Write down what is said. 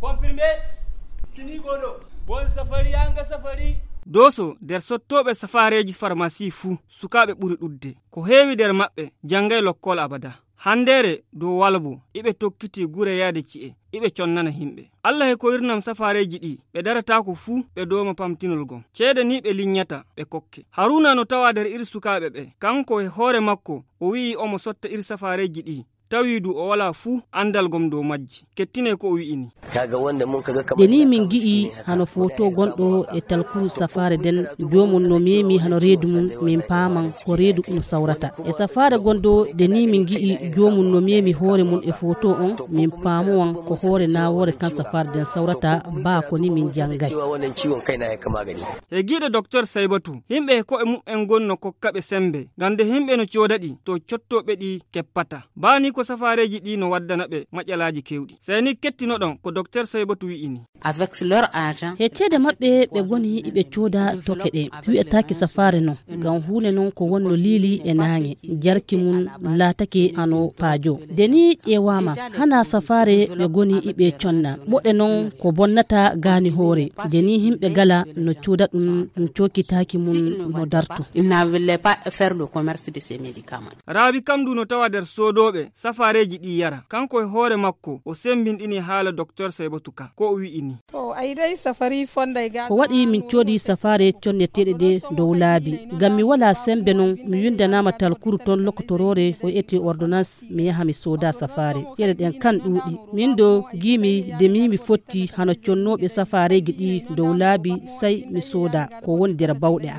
Comprimé kini godo bon safari anga safari Doso der sottoɓe safareji pharmacie fuu sukaɓe ɓuri ɗudde ko heewi der maɓɓe jangay lokkol abada. Handere dow walbo iɓe tokkiti gure yaade ci'e iɓe connana himɓe. Allah he koyirnam safareji ɗi ɓe daratako fuu ɓe doma pamtinol gon. Ceede ni ɓe linyata ɓe kokke. Haruna no tawa der iri sukaɓe ɓe kanko e hoore makko o wi'i omo sotta iri safareji ɗi tawidu o wala fuu andal gom dow majji. Kettine ko o wi'ini. Deni min gi'i hano foto gonɗo e talku safare den jomum no memi hano reedu mum min paman ko reedu no sawrata. E safare gondo deni min gi'i jomum no memi hoore mum e foto on min pamuwan ko hoore nawore kan safare den sawrata ba ko ni min jangay. E giɗo docteur Saibatu himɓe ko e mum gonno kokkaɓe sembe gande himɓe no codaɗi to cottoɓe ɗi keppata. Bani ko safareji ɗi no waddana ɓe maƴalaji kewɗi. Seni kettinoɗon ko docteur Saibatu wi'ini. Avec leur argent he ceede maɓɓe ɓe goni iɓe cooda toke ɗe wi'ataki safare non ngam hunde non ko wonno liili e naange jarki mum laatake hano paajo deni ƴewama hana safare ɓe goni iɓe conna ɓoɗe non ko bonnata gaani hoore deni himɓe gala no cooda ɗum cokkitaki mum no dartu. il ne voulait pas faire le commerce de ces médicaments. Raabi kamdu no tawa der sodoɓe safareji ɗi yara kanko e hoore makko o sembinɗini haala docteur Saibatu ka ko o wi'ini. To ayidai safari fonda ga ko waɗi min coodi safare conneteɗe ɗe dow laabi ngam mi wala sembe non mi windanama talkuru ton lokotorore o eti ordonnance mi yaha mi soda safare ceede ɗen kan ɗuuɗi min do gimi de mi fotti hano connoɓe safareji ɗi dow laabi sai mi soda ko woni der bawɗe am.